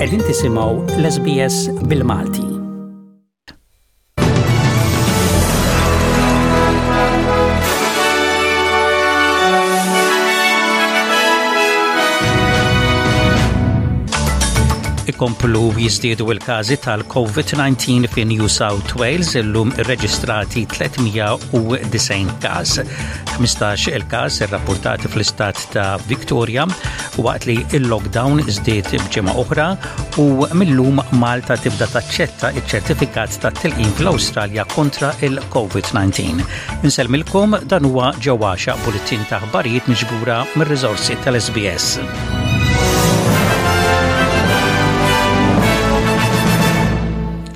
Qegħdin tisimgħu l-SBS bil-Malti. Ikomplu jiżdiedu l-każi tal-COVID-19 fi New South Wales illum irreġistrati 390 każ. 15 il-każ irrapportati fl-istat ta' Victoria waqt li il-lockdown żdied b'ġimgħa oħra u millum Malta tibda taċċetta iċ-ċertifikat ta' tilqim fl-Awstralja kontra il-COVID-19. Insellmilkom dan huwa ġewwaxa bulletin ta' aħbarijiet miġbura mir-riżorsi tal-SBS.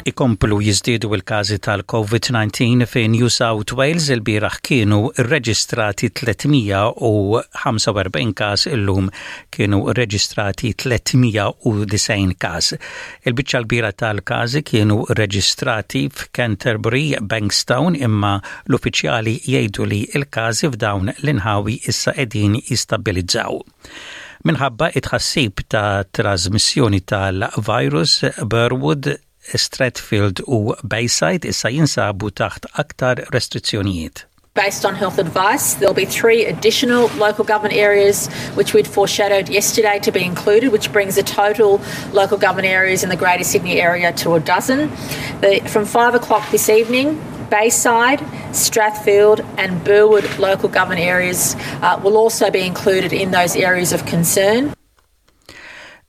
Ikomplu jiżdiedu l-każi tal-COVID-19 fi New South Wales ilbieraħ kienu rreġistrati 345 każ illum kienu rreġistrati 390 każ. Il-biċċa l-kbira tal-każi kienu rreġistrati f'Canterbury, Bankstown imma l-uffiċjali jgħidu li l-każi f'dawn l-inħawi issa qegħdin jistabbilizzaw. Minħabba it-tħassib ta' trasmissjoni tal-virus, Burwood, Strathfield u Bayside issa jinsabu taħt aktar restrizzjonijiet. Based on health advice, there'll be three additional local government areas which we'd foreshadowed yesterday to be included, which brings the total local government areas in the Greater Sydney area to a dozen. The, from five o'clock this evening, Bayside, Strathfield and Burwood local government areas uh, will also be included in those areas of concern.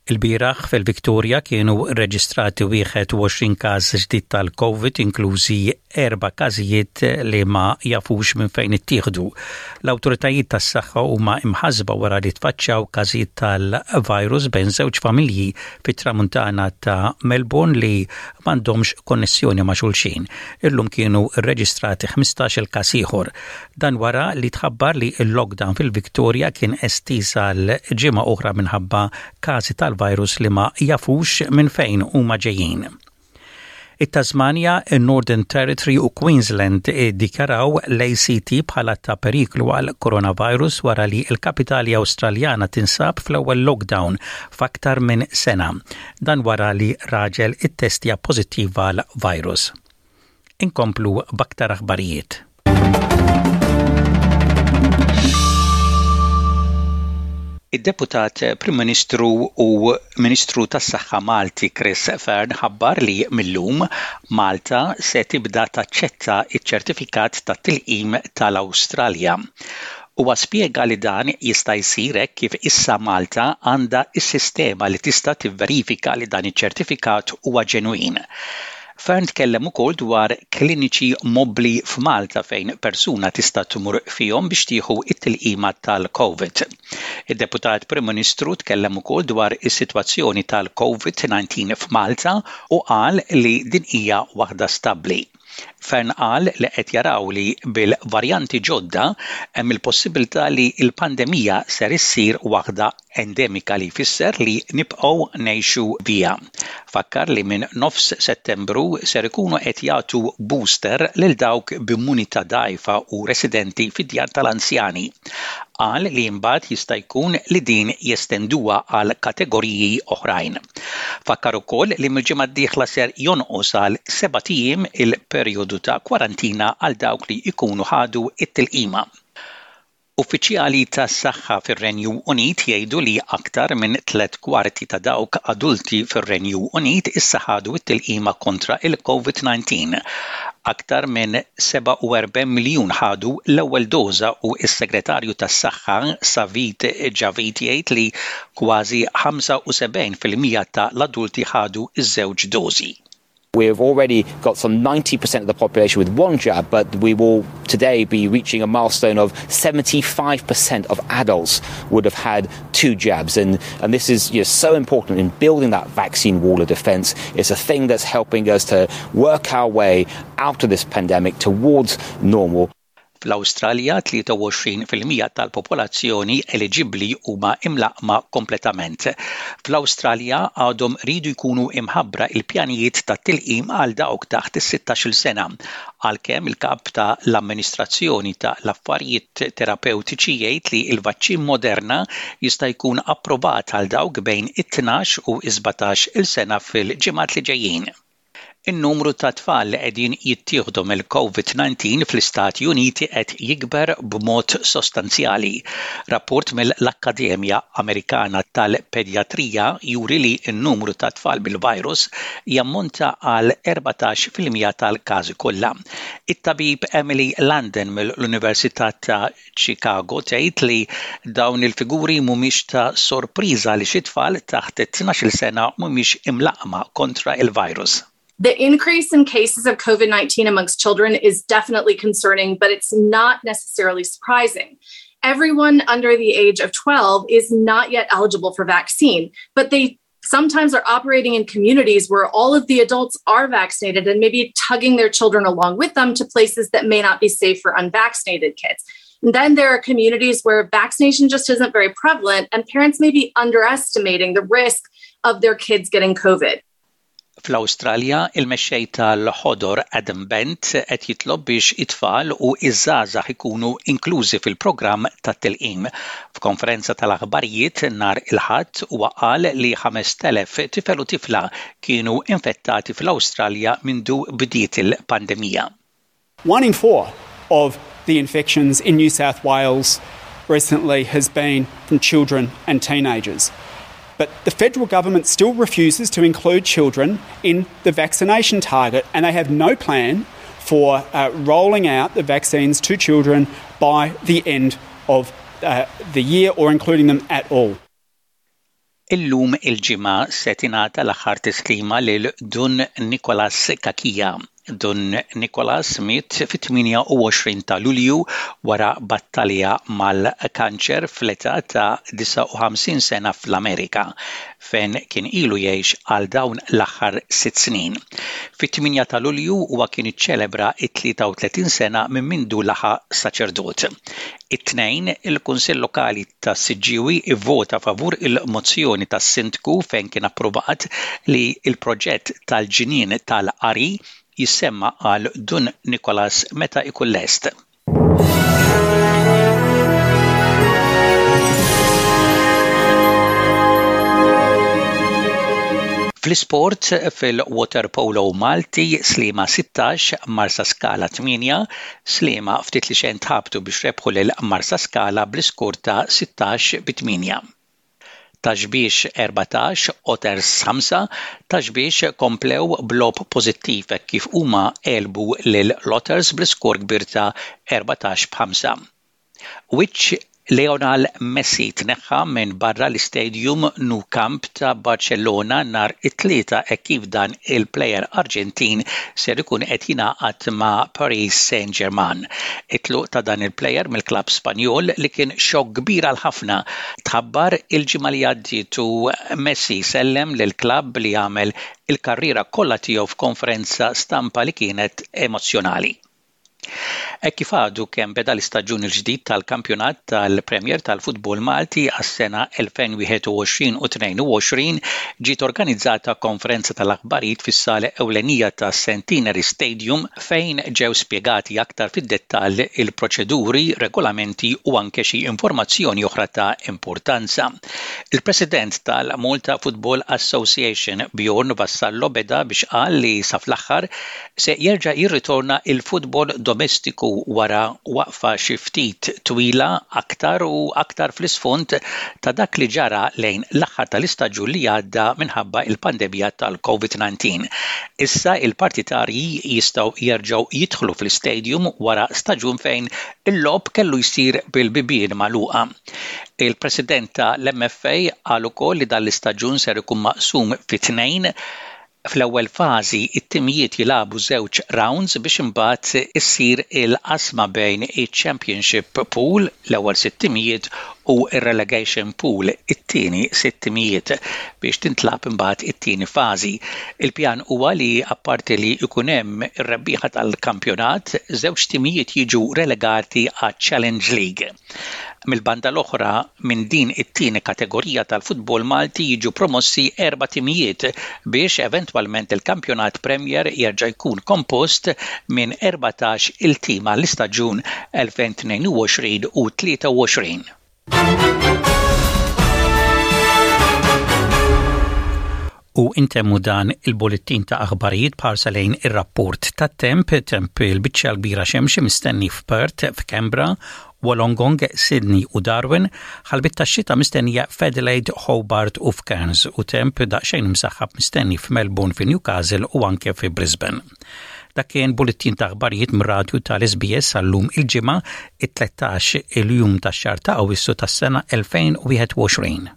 Ilbieraħ fil-Victoria kienu reġistrati 21 każ ġdid tal-COVID inklużi erba' każijiet li ma jafux minn fejn ittieħdu. L-awtoritajiet tas-saħħa huma imħasba wara li tfaċċaw każijiet tal-virus bejn żewġ familji fit-tramuntana ta' Melbourne li m'għandhomx konnessjoni ma' xulxin. Illum kienu rreġistrati 15-il każ ieħor. Dan wara li tħabbar li l-lockdown fil-Victoria kien estiż għal ġimgħa oħra minħabba każi tal-virus li ma jafux minn fejn huma ġejjin. It-Tasmania, in-Northern Territory u Queensland iddikjaraw l-ACT bħala ta' periklu għal coronavirus wara li l-kapitali Awstraljana tinsab fl-ewwel lockdown f'aktar minn sena. Dan wara li raġel ittestja pożittiv għal virus. Inkomplu b'aktar aħbarijiet. Id-Deputat Prim Ministru u Ministru tas-Saħħa Malti Chris Fearne ħabbar li mil-lum Malta se tibda taċċetta ċ-ċertifikat tat-tilqim tal-Awstralja. Huwa spjega li dan jista' jsir hekk kif issa Malta għandha s-sistema li tista' tivverifika li dan iċ-ċertifikat huwa ġenwin. Fearne tkellem ukoll dwar kliniċi mobbli f'Malta fejn persuna tista' tmur fihom biex tieħu t-tilqima tal-Covid. Id-Deputat Prim Ministru tkellem ukoll dwar is-sitwazzjoni tal-Covid-19 f'Malta u qal li din hija waħda stabbli. Fearne qal li qed jaraw li bil-varjanti ġodda hemm il-possibilità li l-pandemija ser issir waħda endemika li jfisser li nibqgħu ngħixu biha. Fakkar li minn nofs Settembru ser ikunu qed jagħtu booster lil dawk b'immunità dgħajfa u residenti fid-djar tal-anzjani. Qal li imbagħad jista' jkun li din jestenduha għal kategoriji oħrajn. Fakkar ukoll li mill-ġimgħa d-dieħla ser jonqos għal sebat ijiem il-perjodu ta' kwarantina għal dawk li jkunu ħadu t-tilqima. Uffiċjali tas-saħħa fir-Renju Unit jgħidu li aktar minn tlett kwarti ta' dawk adulti fir-Renju Unit issa ħadu t-tilqima kontra il-COVID-19. Aktar minn 47 miljun ħadu l-ewwel doża u s-Segretarju tas-Saħħa Sajid Javid jgħid li kważi 75% ta' l-adulti ħadu ż-żewġ dożi. We've already got some 90% of the population with one jab, but we will today be reaching a milestone of 75% of adults would have had two jabs. And, and this is you know, so important in building that vaccine wall of defense. It's a thing that's helping us to work our way out of this pandemic towards normal. Fl-Awstralja, 23% tal-popolazzjoni eliġibbli huma imlaqqma kompletament. Fl-Awstralja għadhom iridu jkunu imħabbra il-pjanijiet tat-tilqim għal dawk taħt is-sittax-il sena, għalkemm il-kap ta' l-amministrazzjoni ta' l-affarijiet terapewtiċi jgħid li l-vaċċin Moderna jista' jkun approvat għal dawk bejn it-tnax u s-sbatax il sena fil-ġimgħat li ġejjin. In-numru ta' tfal li qegħdin jittieħdu mill-Covid-19 fl-Istati Uniti qed jikber b'mod sostanzjali. Rapport mill-Akkademja Amerikana tal-Pedjatrija juri li n-numru ta' tfal bil-virus jammonta għal 14% tal-każi kollha. It-tabib Emily London mill-Università ta' Chicago tgħid li dawn il-figuri mhumiex ta' sorpriża għaliex it-tfal taħt it-tnax-il sena mhumiex imlaqqma kontra il-virus. The increase in cases of COVID-19 amongst children is definitely concerning, but it's not necessarily surprising. Everyone under the age of 12 is not yet eligible for vaccine, but they sometimes are operating in communities where all of the adults are vaccinated and maybe tugging their children along with them to places that may not be safe for unvaccinated kids. And then there are communities where vaccination just isn't very prevalent and parents may be underestimating the risk of their kids getting COVID. Fl-Awstralja, il-mexxej tal-Ħodor Adam Bandt qed jitlob biex it-tfal u ż-żgħażagħ ikunu inklużi fil-programm tat-tilqim. F'konferenza tal-aħbarijiet nhar il-Ħadd huwa qal li 5,000 tifel u tifla kienu infettati fl-Awstralja mindu bdiet il-pandemija. One in four of the infections in New South Wales recently has been from children and teenagers. But the federal government still refuses to include children in the vaccination target, and they have no plan for uh, rolling out the vaccines to children by the end of uh, the year or including them at all. Illum il-Ġimgħa se tingħata l-aħħar tislima lil Dun Nicholas Cachia. Dun Nicholas miet fit-28 ta' Lulju wara battalja mal-kanċer fl-età ta' 59 sena fl-Amerika, fejn kien ilu jgħix għal dawn l-aħħar sitt snin. Fit-8 ta' Lulju huwa kien iċċelebra t-33 sena minn mindu laħaq saċerdot. It-Tnejn, il-Kunsill Lokali tas-Siġġiewi ivvota favur il-mozzjoni tas-Sindku fejn kien approvat li l-proġett tal-ġnien tal-qari jissemma għal Dun Nicholas meta jkun lest. Fl-isport, fil-waterpolo Malti, Sliema 16, Marsaskala 8, Sliema ftit li xejn tħabtu biex rebħu lil Marsaskala bl-iskor ta' 16 bi 8. Ta' Xbiex 14, Otters 5, Ta' Xbiex komplew b'logħob pożittiv hekk kif huma għelbu lil l-Otters bl-iskor kbir ta' 14 b' 5. Wiċċ Lionel Messi tneħħa minn barra l-istadium Nou Camp ta' Barcellona nhar it-Tlieta hekk kif dan il-plejer Arġentin ser ikun qed jingħaqad ma' Paris Saint-Germain. It-tluq ta' dan il-plejer mill-klabb Spanjol li kien xokk kbir għal ħafna tħabbar il-ġimgħa li għaddiet u Messi sellem lill-klabb li għamel il-karriera kollha tiegħu f'konferenza stampa li kienet emozzjonali. Hekk kif għadu kemm beda l-istaġun il-ġdid tal-Kampjonat tal-Premier tal-Futbol Malti għas-sena 2021 u 22, ġiet organizzata konferenza tal-aħbarijiet fis-sala ewlenija tas-Centenary Stadium fejn ġew spjegati aktar fid-dettall il-proċeduri, regolamenti u anke xi informazzjoni oħra ta' importanza. Il-President tal-Malta Football Association Bjorn Vassallo beda biex qal li sa fl-aħħar Se jerġa' jirritorna l-futbol domestiku wara waqfa xi ftit twila aktar u aktar fl-isfond ta' dak li ġara lejn l-aħħar tal-istaġun li għadda minħabba l-pandemija tal-Covid-19. Issa l-partitarji jistgħu jerġgħu jidħlu fl-istadium wara staġun fejn il-logħob kellu jsir bil-bibien magħluqa. Il-President ta' l-MFA qal ukoll li dan l-istaġun ser ikun maqsum fi tnejn. Fl-ewwel fażi, it-timijiet jilagħbu żewġ rawnds biex imbagħad issir il-qasma bejn iċ-Championship Pool, l-ewwel sitt timijiet, u r-Relegation Pool, it-tieni sitt timijiet, biex tintlagħab imbagħad it-tieni fażi. Il-pjan huwa li apparti li jkun hemm ir-rebbieħa tal-kampjonat, żewġ timijiet jiġu relegati għaċ-Challenge League. Mill-banda l-oħra, minn din it-tieni kategorija tal-futbol Malti jiġu promossi erba' timijiet biex eventwalment il-kampjonat Premier jerġa' jkun kompost minn 14 il tim għall-istaġun 2022 u 23. U intemmu dan il-bullettin ta' aħbarijiet b'ħarsa lejn ir-rapport tat-temp, temp il-biċċa l-kbira xemxi mistenni f'Perth, f'Canberra, Wollongong, Sydney u Darwin, ħalbiet tax-xita mistennija f'Adelaide, Hobart u f'Cairns u temp daqsxejn imsaħħab mistenni f'Melbourne, fi Newcastle u anke fi Brisbane. Dak kien bullettin ta' aħbarijiet mir-radju tal-SBS għal-lum il-Ġimgħa, it-13 il-jum tax-xahar ta' Awwissu tas-sena 2021.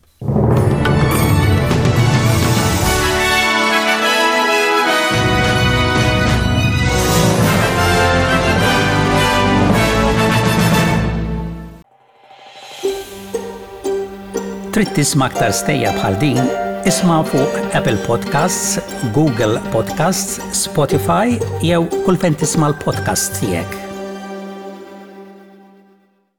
Trid tisma' aktar stejjer bħal din? Isma' fuq Apple Podcasts, Google Podcasts, Spotify jew kull fejn tisma' l-podcasts tiegħek.